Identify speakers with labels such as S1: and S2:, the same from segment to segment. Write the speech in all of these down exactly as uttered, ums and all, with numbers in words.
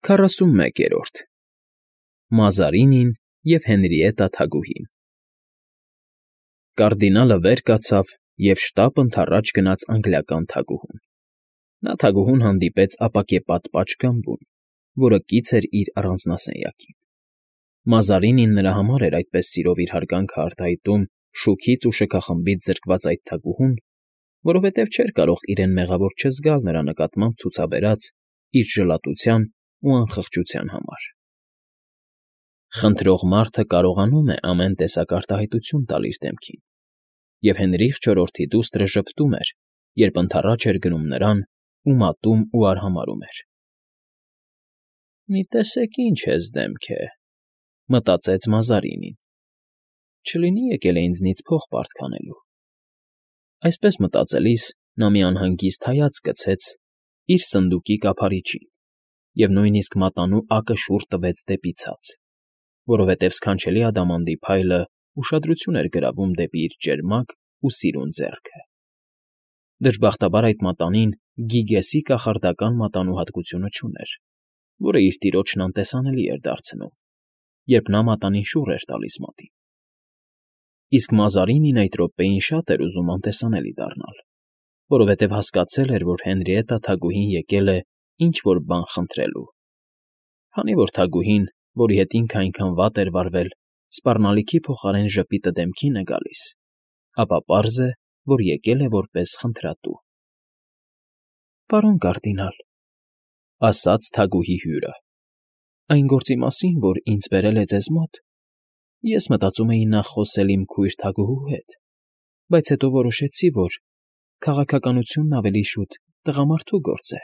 S1: Քառասունմեկերորդ Մազարինին և Հենրիետտա թագուհին Կարդինալը վեր կացավ և շտապ ընդառաջ գնաց անգլիական թագուհուն. նա թագուհուն հանդիպեց ապակեպատ պատշգամբում, որը կից էր իր առանձնասենյակին. Մազարինին նրա համար էր այդպես սիրով իր հարգանքը արտահայտում շուքից ու շքախմբից զրկված այդ թագուհուն, որովհետև չէր կարող իրեն մեղավոր չզգալ նրա նկատմամբ ցուցաբերած իր ժլատության ու անխղճության համար։ Խնդրող մարդը կարողանում է ամեն տեսակ արտահայտություն տալ իր դեմքին, և Հենրիխ չորրորդի դուստրը ժպտում էր, երբ ընդառաջ էր գնում նրան ու մատում ու արհամարհում էր։ «Մի տեսեք ինչ հեզ դեմք է,֊ մտածեց Մազարինին,֊ չլինի եկել է ինձնից փող պարտք անելու»։ Այսպես մտածելիս նա մի անհանգիստ հայացք գցեց իր սնդուկի կափարիչին և նույնիսկ մատանու ակը շուռ տվեց դեպի ցած, որովհետև սքանչելի ադամանդի փայլը ուշադրություն էր գրավում դեպի իր ճերմակ ու սիրուն ձեռքը։ Դժբախտաբար այդ մատանին Գիգեսի կախարդական մատանու հատկությունը չուներ, որը իր տիրոջն անտեսանելի էր դարձնում, երբ նա մատանին շուռ էր տալիս մատին։ Իսկ Մազարինին այդ րոպեին շատ էր ուզում անտեսանելի դառնալ, որովհետև հասկացել էր, որ Հենրիետտա թագուհին եկել է ինչ֊որ բան խնդրելու։ Քանի որ թագուհին, որի հետ ինքը այնքան վատ էր վարվել, սպառնալիքի փոխարեն ժպիտը դեմքին է գալիս, ապա պարզ է, որ եկել է որպես խնդրատու։ «Պարոն կարդինալ,֊ ասաց թագուհի հյուրը,֊ այն գործի մասին, որ ինձ բերել է ձեզ մոտ, ես մտածում էի նախ խոսել իմ քույր թագուհու հետ, բայց հետո որոշեցի, որ քաղաքականությունն ավելի շուտ տղամարդու գործ է»։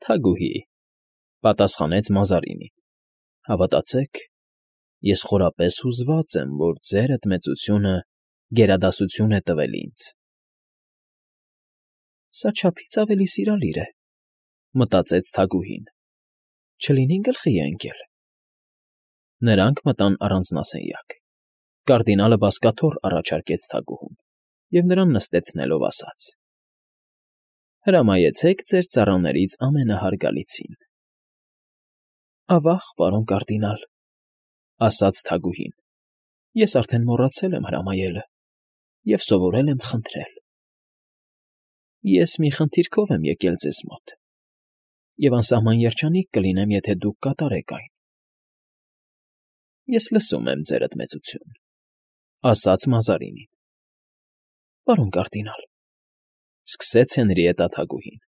S1: «Թագուհի,֊ պատասխանեց Մազարինին,֊ հավատացեք, ես խորապես հուզված եմ, որ ձերդ մեծությունը գերադասություն է տվել ինձ»։ «Սա չափից ավելի սիրալիր է,֊ մտածեց թագուհին,֊ չլինի գլխի է ընկել»։ Նրանք մտան առանձնասենյակ։ Կարդինալը բազկաթոռ առաջարկեց թագուհուն և նրան նստեցնելով ասաց. «Հրամայեցեք ձեր ծառաներից ամենահարգալիցին»։ «Ավա՜ղ, պարոն կարդինալ,֊ ասաց թագուհին,֊ ես արդեն մոռացել եմ հրամայելը և սովորել եմ խնդրել։ Ես մի խնդիրքով եմ եկել ձեզ մոտ, և անսահման երջանիկ կլինեմ, եթե դուք կատարեք այն»։ «Ես լսում եմ, ձերդ մեծություն,֊ ասաց Մազարինին»։ «Պարոն կարդինալ,֊ սկսեց Հենրիետտա թագուհին,֊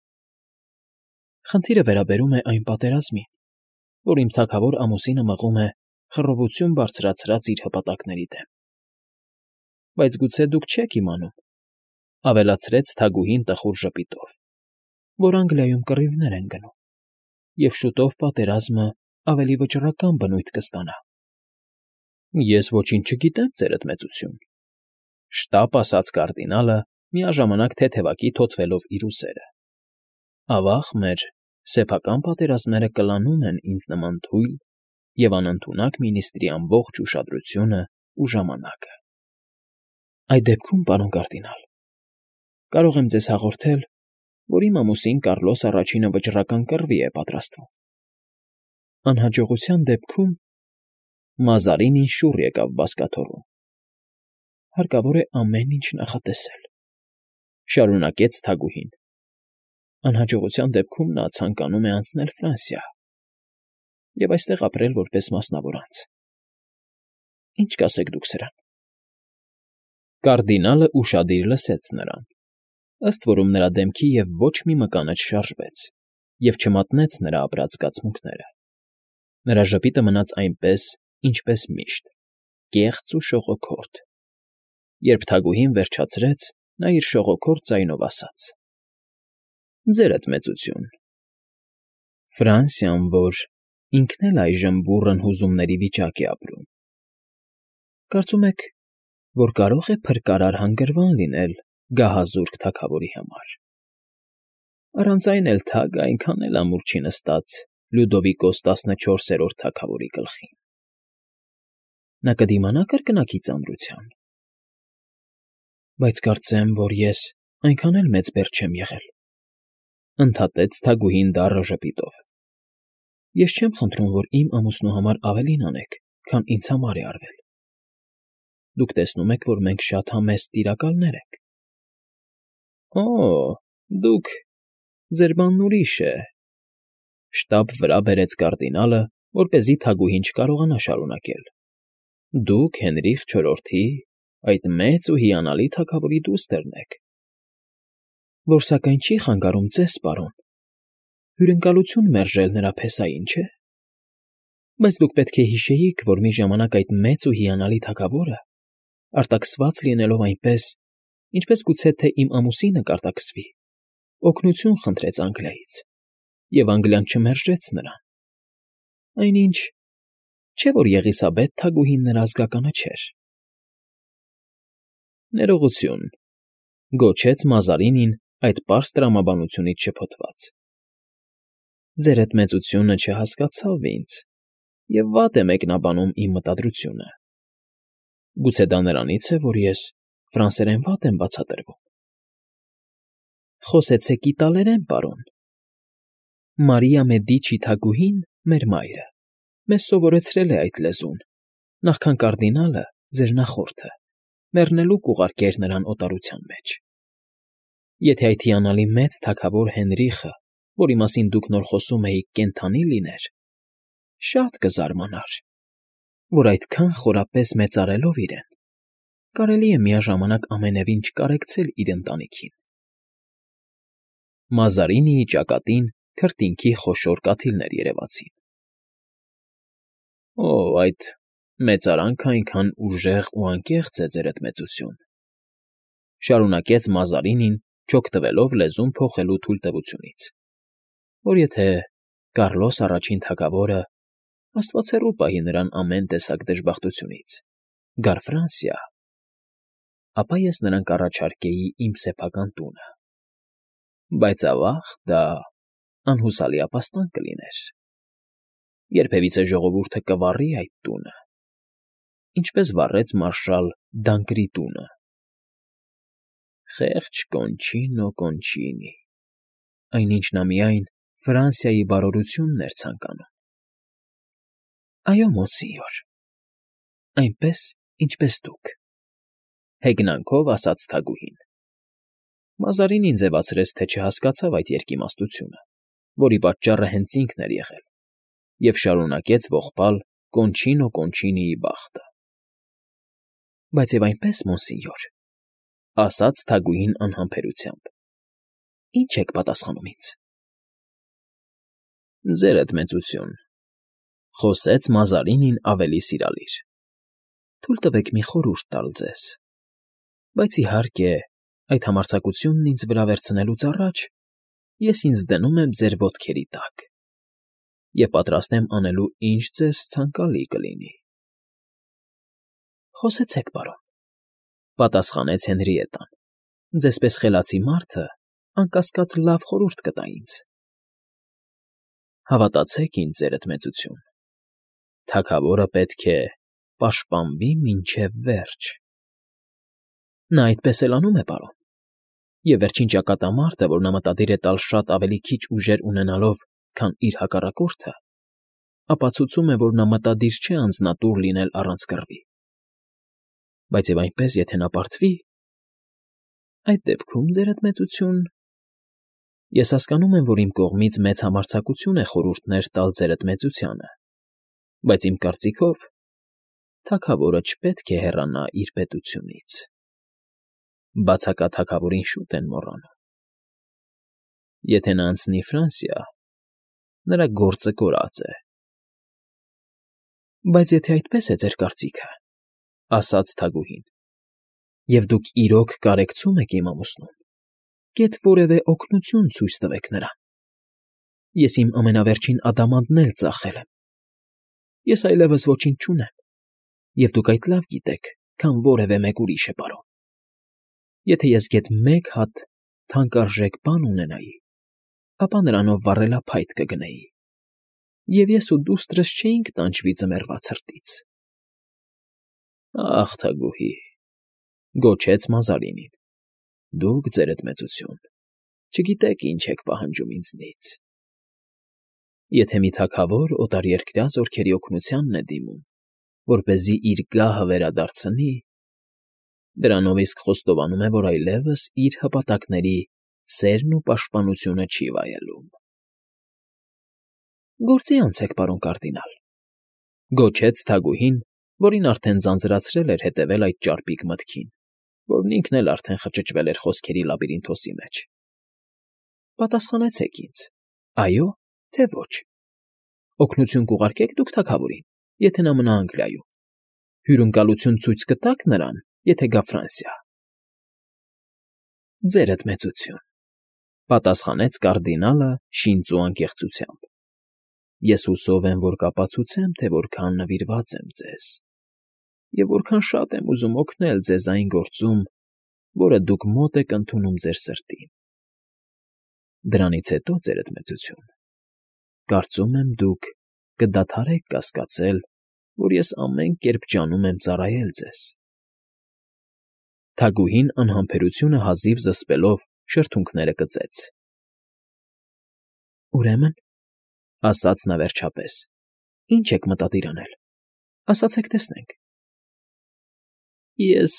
S1: խնդիրը վերաբերում է այն պատերազմին, որ իմ թագավոր ամուսինը մղում է խռովություն բարձրացրած իր հպատակների դեմ։ Բայց գուցե դուք չեք իմանում,֊ ավելացրեց թագուհին տխուր ժպիտով,֊ որ Անգլիայում կռիվներ են գնում, և շուտով պատերազմը ավելի վճռական բնույթ կստանա»։ «Ես ոչինչ չգիտեմ, ձերդ մեծություն,֊ շտապ ասաց կարդինալը, միաժամանակ թեթևակի թոթվելով իր ուսերը,֊ ավա՜ղ մեր սեփական պատերազմները կլանում են ինձ նման թույլ և անընդունակ մինիստրի ամբողջ ուշադրությունն ու ժամանակը։ Այդ դեպքում, պարոն կարդինալ, կարող եմ ձեզ հաղորդել, որ իմ ամուսին Կարլոս առաջինը վճռական կռվի է պատրաստվում։ Անհաջողության դեպքում…» Մազարինին շուռ եկավ բազկաթոռում։ «Հարկավոր է ամեն ինչ նախատեսել,֊ շարունակեց թագուհին,֊ անհաջողության դեպքում նա ցանկանում է անցնել Ֆրանսիա և այստեղ ապրել որպես մասնավոր անձ։ Ինչ կասեք դուք սրան»։ Կարդինալը ուշադիր լսեց նրան, ըստ որում նրա դեմքի և ոչ մի մկանը չշարժվեց և չմատնեց նրա ապրած զգացմունքները։ Նրա ժպիտը մնաց այնպես, ինչպես միշտ, կեղծ ու շողոքորթ։ Երբ թագուհին վերջացրեց, նա իր շողոքորթ ձայնով ասաց. «Ձերդ մեծություն, Ֆրանսիան, որ ինքն էլ այժմ բուռն հուզումների վիճակ է ապրում, կարծում եք, որ կարո՞ղ է փրկարար հանգրվան լինել գահազուրկ թագավորի համար։ Առանց այն էլ թագը այնքան էլ ամուր չի նստած Լյուդովիկոս տասնչորսերորդ թագավորի գլխին։ Նա կդիմանա կրկնակի ծանրության։ Բայց կարծեմ, որ ես այնքան էլ մեծ բերդ չեմ եղել,֊ ընդհատեց թագուհին դառը ժպիտով։ Ես չեմ խնդրում, որ իմ ամուսնու համար ավելին անեք, քան ինձ համար է արվել. դուք տեսնում եք, որ մենք շատ համեստ տիրակալներ ենք։ ֊ Օ՜, դուք… ձեր բանն ուրիշ է,֊ շտապ վրա բերեց կարդինալը, որպեսզի թագուհին չկարողանա շարունակել։ ֊ Դուք Հենրիխ չորրորդի, այդ մեծ ու հիանալի թագավորի դուստրն եք, որ սակայն չի խանգարում ձեզ, պարոն, հյուրընկալություն մերժել նրա փեսային, չէ՞։ Բայց դուք պետք է հիշեիք, որ մի ժամանակ այդ մեծ ու հիանալի թագավորը, արտաքսված լինելով այնպես, ինչպես գուցե թե իմ ամուսինը կարտաքսվի, օգնություն խնդրեց Անգլիայից, և Անգլիան չմերժեց նրան։ Այնինչ, չէ՞ որ Եղիսաբեթ թագուհին նրա ազգականը չէր։ ֊ Ներողություն,֊ գոչեց Մազարինին այդ պարզ տրամաբանությունից շփոթված։ ֊ Ձեր էդ մեծությունը չհասկացավ ինձ և վատ է մեկնաբանում իմ մտադրությունը։ Գուցե դա նրանից է, որ ես ֆրանսերեն վատ եմ բացատրվում։ ֊ Խոսեցեք իտալերեն, պարոն։ Մարիա Մեդիչի թագուհին, մեր մայրը, մեզ սովորեցրել է այդ լեզուն, նախքան կարդինալը, ձեր նախորդը, մեռնելու կուղարկեր նրան օտարության մեջ։ Եթե այդ հիանալի մեծ թագավոր Հենրիխը, որի մասին դուք նոր խոսում էիք, կենդանի լիներ, շատ կզարմանար, որ այդքան խորապես մեծարելով իրեն, կարելի է միաժամանակ ամենևին չկարեկցել իր ընտանիքին։ Մազարինիի ճակատին քրտինքի խոշոր կաթիլներ երևացին։ ֊ Օ, այդ մեծարանքը այնքան ուժեղ ու անկեղծ է, ձեր էդ մեծություն,֊ շարունակեց Մազարինին, չօգտվելով լեզուն փոխելու թույլտվությունից, որ եթե Կառլոս առաջին թագավորը, աստված հեռու պահի նրան ամեն տեսակ դժբախտությունից, գար Ֆրանսիա, ապա ես նրան կառաջարկեի իմ սեփական տունը, բայց ավաղ դա անհուսալի ապաստան կլիներ. երբևիցե ժողովուրդը կվառի այդ տունը, ինչպես վառեց մարշալ Դանկրի տունը։ Խեղճ Կոնչինո Կոնչինի, այնինչ նա միայն Ֆրանսիայի բարօրությունն էր ցանկանում։ ֊ Այո, մոնսինյոր, այնպես, ինչպես դուք,֊ հեգնանքով ասաց թագուհին։ Մազարինին ձևացրեց, թե չհասկացավ այդ երկիմաստությունը, որի պատճառը հենց ինքն էր եղել, և շարունակեց ողբալ Կոնչինո Կոնչինիի բախտը։ ֊ Բայց և այնպես, մոնսինյոր,֊ ասաց թագուհին անհամբերությամբ,֊ ի՞նչ եք պատասխանում ինձ։ ֊ Ձերդ մեծություն,֊ խոսեց Մազարինին ավելի սիրալիր,֊ թույլ տվեք մի խորհուրդ տալ ձեզ, բայց, իհարկե, այդ համարձակությունն ինձ վրա վերցնելուց առաջ ես ինձ դնում եմ ձեր ոտքերի տակ և պատրաստ եմ անելու, ինչ ձեզ ցանկալի կլինի։ ֊ Խոսեցեք, պարոն,֊ պատասխանեց Հենրիետան, ձեզպես խելացի մարդը, անկասկած, լավ խորհուրդ կտա ինձ։ ֊ Հավատացեք ինձ, ձերդ մեծություն, թագավորը պետք է պաշտպանվի մինչև վերջ։ ֊ Նա այդպես էլ անում է, պարոն, և վերջին ճակատամարտը, որ նա մտադիր է տալ շատ ավելի քիչ ուժեր ունենալով, քան իր հակառակորդը, ապացուցում է, որ նա մտադիր չէ անձնատուր լինել առանց կռվի։ Բայց և այնպես, եթե նա պարտվի… այդ դեպքում, ձերդ մեծություն, ես հասկանում եմ, որ իմ կողմից մեծ համարձակություն է խորհուրդներ տալ ձերդ մեծությանը, բայց իմ կարծիքով թագավորը չպետք է հեռանա իր պետությունից. բացակա թագավորին շուտ են մոռանում. եթե նա անցնի Ֆրանսիա, նրա գործը կորած է։ ֊ Բայց եթե այդպես է ձեր կարծիքը,֊ ասաց թագուհին,֊ և դուք իրոք կարեկցում եք իմ ամուսնուն, գեթ որևէ օգնություն ցույց տվեք նրան։ Ես իմ ամենավերջին ադամանդն էլ ծախել եմ, ես այլևս ոչինչ չունեմ, և դուք այդ լավ գիտեք, քան որևէ մեկ ուրիշը, պարոն։ Եթե ես գեթ մեկ հատ թանկարժեք բան ունենայի, ապա նրանով վառելափայտ կգնեի, և ես ու դուստրս չէինք տանջվի ձմեռվա ցրտից։ ֊ Ախ, թագուհի,֊ գոչեց Մազարինին,֊ դուք, ձերդ մեծություն, չգիտեք ինչ եք պահանջում ինձնից։ Եթե մի թագավոր օտարերկրյա զորքերի օգնությանն է դիմում, որպեսզի իր գահը վերադարձնի, դրանով իսկ խոստովանում է, որ այլևս իր հպատակների սերն ու պաշտպանությունը չի վայելում։ Գործի անցեք, պարոն կարդինալ, գոչեց թագուհին, որին արդեն ձանձրացրել էր հետևել այդ ճարպիկ մտքին, որն ինքն էլ արդեն խճճվել էր խոսքերի լաբիրինթոսի մեջ։ Պատասխանեցեք ինձ, այո, թե ոչ։ Օգնություն կուղարկեք դուք թագավորին, եթե նա մնա Անգլիայում։ Հյուրընկալություն ցույց կտաք նրան, եթե գա Ֆրանսիա։ Ձերդ մեծություն, պատասխանեց կարդինալը շինծու անկեղծությամբ։ Ես հուսով եմ, որ կապացուցեմ, թե որքան նվիրված եմ ձեզ, և որքան շատ եմ ուզում օգնել ձեզ այն գործում, որը դուք մոտ եք ընդունում ձեր սրտին։ Դրանից հետո, ձերդ մեծություն, կարծում եմ դուք կդադարեք կասկածել, որ ես ամեն կերպ ջանում եմ ծառայել ձեզ։ Թագուհին անհամբերությունը հազիվ զսպելով շրթունքները կծեց։ Ուրեմն, ասաց նա վերջապես, ի՞նչ եք մտադիր անել, ասացեք տեսնենք։ Ես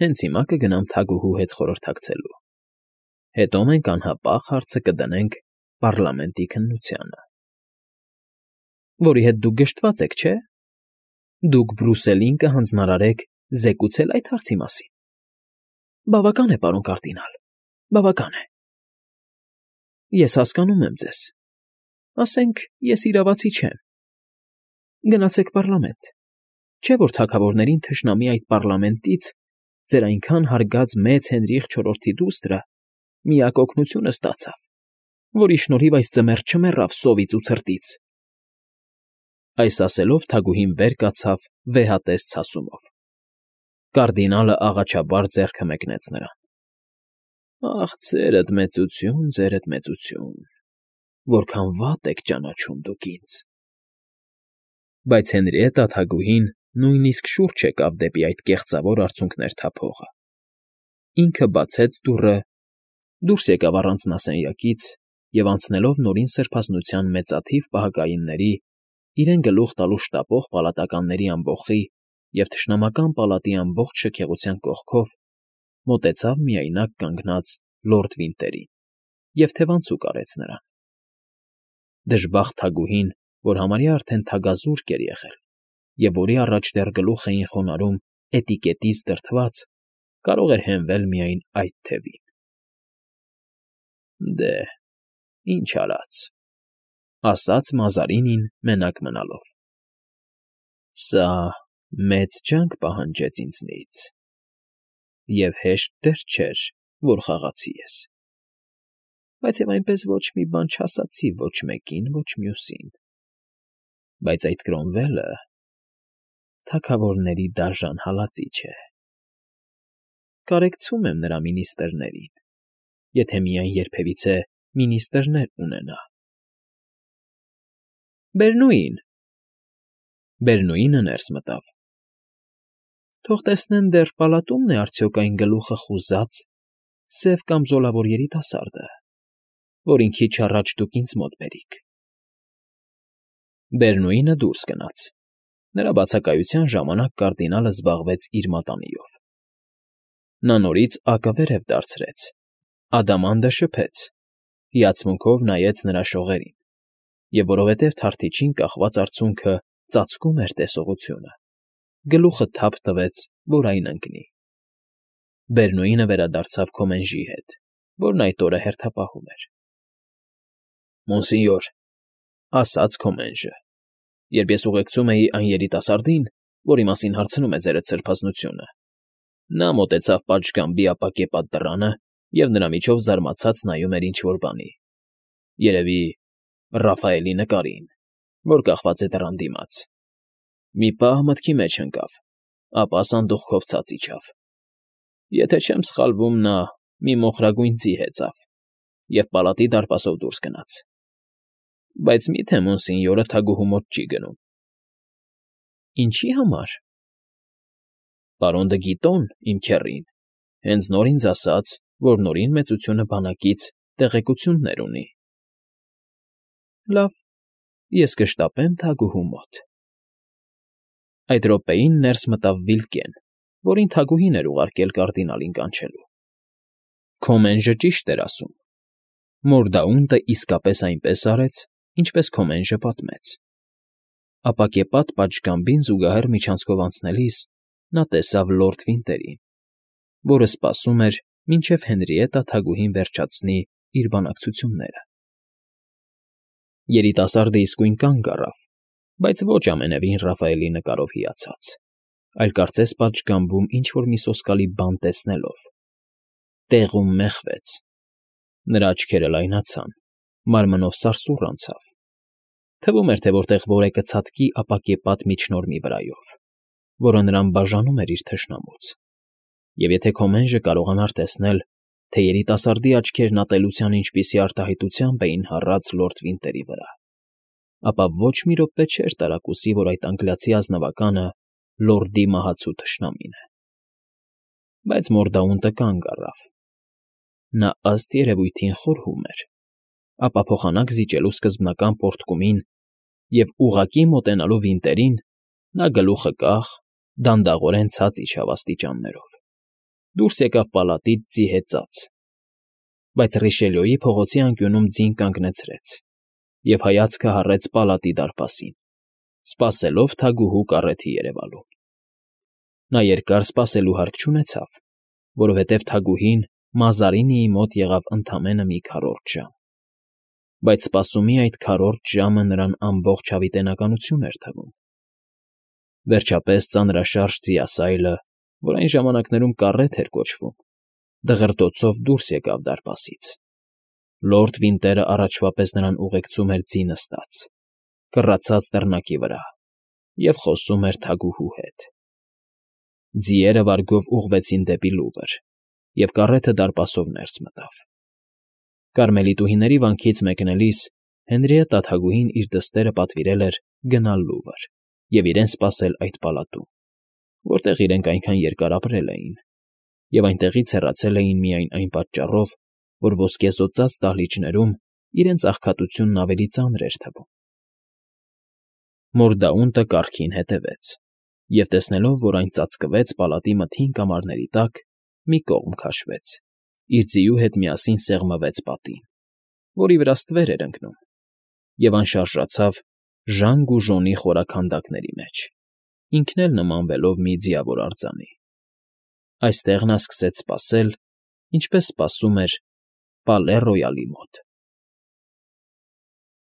S1: հենց հիմա կգնամ թագուհու հետ խորհրդակցելու, հետո մենք անհապաղ հարցը կդնենք պառլամենտի քննությանը։ Որի հետ դուք գժտված եք, չէ՞։ Դուք Բրուսելին կհանձնարարեք զեկուցել այդ հարցի մասին։ Բավական է, պարոն կարդինալ, բավական է։ Ես հասկանում եմ ձեզ։ Ասենք, ես իրավացի չեմ։ Գնացեք պառլամենտ, չէ՞ որ թագավորներին թշնամի այդ պառլամենտից ձեր այնքան հարգած մեծ Հենրիխ չորրորդի դուստրը միակ օգնությունը ստացավ, որի շնորհիվ այս ձմեռ չմեռավ սովից ու ցրտից։ Այս ասելով թագուհին վեր կացավ վեհատես ցասումով։ Կարդինալը աղաչաբար ձեռքը մեկնեց նրան։ Ախ, ձերդ մեծություն, ձերդ մեծություն, որքան վատ եք ճանաչում դուք ինձ։ Բայց Հենրիետտա թագուհին նույնիսկ շուռ չեկավ դեպի այդ կեղծավոր արցունքներ թափողը։ Ինքը բացեց դուռը, դուրս եկավ առանց նասենյակից և անցնելով նորին սրբազնության մեծաթիվ պահակայինների, իրեն գլուխ տալու շտապող պալատականների ամբոխի և թշնամական պալատի ամբողջ շքեղության կողքով, մոտեցավ միայնակ կանգնած լորդ Վինտերին և թևանցուկ արեց նրան։ Դժբախտ թագուհին, որ համարյա արդեն թագազուրկ էր եղել, և որի առաջ դեռ գլուխ էին խոնարհում էտիկետից դրդված, կարող էր հենվել միայն այդ թևին։ Դե, ինչ արած, ասաց Մազարինին մենակ մնալով։ Սա մեծ ջանք պահանջեց ինձնից, և հեշտ դեռ չէր, որ խաղացի ես։ Բայց և այնպես ոչ մի բան չասացի ոչ մեկին, ոչ մյուսին։ Բայց այդ Կրոմվելը թագավորների դաժան հալածիչ է։ Կարեկցում եմ նրա մինիստրերին, եթե միայն երբևիցե մինիստրներ ունենա։ Բերնուին… Բերնուինը ներս մտավ։ Թող տեսնեն դեռ պալատումն է արդյոք այն գլուխը խուզած, սև կամ զոլավոր երիտասարդը, որին քիչ առաջ դուք ինձ մոտ բերիք։ Բերնուինը դուրս գնաց։ Նրա բացակայության ժամանակ կարդինալը զբաղվեց իր մատանիով։ Նա նորից ակը վերև դարձրեց, ադամանդը շփեց, հիացմունքով նայեց նրա շողերին, և որովհետև թարթիչին կախված արցունքը ծածկում էր տեսողությունը, գլուխը թափ տվեց, որ այն ընկնի։ Բերնուինը վերադարձավ Քոմենժի հետ, որն այդ օրը հերթապահում էր։ Մոնսինյոր, ասաց Քոմենժը, երբ ես ուղեկցում էի այն երիտասարդին, որի մասին հարցնում է ձերդ սրբազնությունը, նա մոտեցավ պատշգամբի ապակե պատդռանը և նրա միջով զարմացած նայում էր ինչ֊որ բանի, երևի Ռաֆայելի նկարին, որ կախված է դռան դիմաց։ Մի պահ մտքի մեջ ընկավ, ապա սանդուղքով ցած իջավ։ Եթե չեմ սխալվում, նա մի մոխրագույն ձի հեծավ և պալատի դարպասով դուրս գնաց։ Բայց մի՞թե Մոնսինյորը թագուհու մոտ չի գնում։ Ինչի՞ համար։ Պարոն դը Գիտոն, իմ քեռին, հենց նոր ինձ ասաց, որ Նորին մեծությունը բանակից տեղեկություններ ունի։ Լավ, ես կշտապեմ թագուհու մոտ։ Այդ րոպեին ներս մտավ Վիլկեն, որին թագուհին էր ուղարկել կարդինալին կանչելու։ Քոմենժը ճիշտ էր ասում. Մորդաունտը իսկապես այնպես արեց, ինչպես Քոմենժը պատմեց։ Ապակեպատ պատշգամբին զուգահեռ միջանցքով անցնելիս նա տեսավ լորդ Վինտերին, որը սպասում էր, մինչև Հենրիետտա թագուհին վերջացնի իր բանակցությունները։ Երիտասարդը իսկույն կանգ առավ, բայց ոչ ամենևին Ռաֆայելի նկարով հիացած, այլ կարծես պատշգամբում ինչ֊որ մի սոսկալի բան տեսնելով։ Տեղում մեխվեց։ Նրա աչքերը լայնացան, մարմնով սարսուռ անցավ։ Թվում էր, թե որտեղ որեկը ցատկի ապակեպատ միջնորմի վրայով, որը նրան բաժանում էր իր թշնամուց։ Եվ եթե Քոմենժը կարողանար տեսնել, թե երիտասարդի աչքերն ատելության ինչպիսի արտահայտությամբ էին հառած լորդ Վինտերի վրա, ապա ոչ մի րոպե չէր տարակուսի, որ այդ անգլիացի ազնվականը լորդի մահացու թշնամին է։ Բայց Մորդաունտը կանգ առավ։ Նա ըստ երևույթին խորհում էր, ապա փոխանակ զիջելու սկզբնական պոռթկումին և ուղղակի մոտենալու Վինտերին, նա գլուխը կախ, դանդաղորեն ցած իջավ աստիճաններով, դուրս եկավ պալատից ձիհեծած, բայց Ռիշելիոյի փողոցի անկյունում ձին կանգնեցրեց և հայացքը հառեց պալատի դարպասին, սպասելով թագուհու կառեթի երևալուն։ Նա երկար սպասելու հարկ չունեցավ, որովհետև թագուհին Մազարինիի մոտ եղավ ընդամենը մի քառորդ ժամ, բայց սպասումի այդ քառորդ ժամը նրան ամբողջ հավիտենականություն էր թվում։ Վերջապես ծանրաշարժ ձիասայլը, որ այն ժամանակներում կառեթ էր կոչվում, դղրդոցով դուրս եկավ դարպասից։ Լորդ Վինտերը առաջվա պես նրան ուղեկցում էր ձի նստած, կռացած դռնակի վրա, և խոսում էր թագուհու հետ։ Ձիերը վարգով ուղղվեցին դեպի Լուվր, և կառեթը դարպասով ներս մտավ։ Կարմելիտուհիների վանքից մեկնելիս Հենրիետտա թագուհին իր դստերը պատվիրել էր գնալ Լուվր և իրեն սպասել այդ պալատում, որտեղ իրենք այնքան երկար ապրել էին, և այնտեղից հեռացել էին միայն այն պատճառով, որ ոսկեզօծած դահլիճներում իրենց աղքատությունն ավելի ծանր էր թվում։ Մորդաունտը կառքին հետևեց և, տեսնելով, որ այն ծածկվեց պալատի մթին կամարների տակ, մի կողմ քաշվեց, իր ձիու հետ միասին սեղմվեց պատին, որի վրա ստվեր էր ընկնում, և անշարժացավ ժանգ ու ժոնի խորաքանդակների մեջ, ինքն էլ նմանվելով մի ձիավոր արձանի։ Այստեղ նա սկսեց սպասել, ինչպես սպասում էր Պալե Ռոյալի մոտ։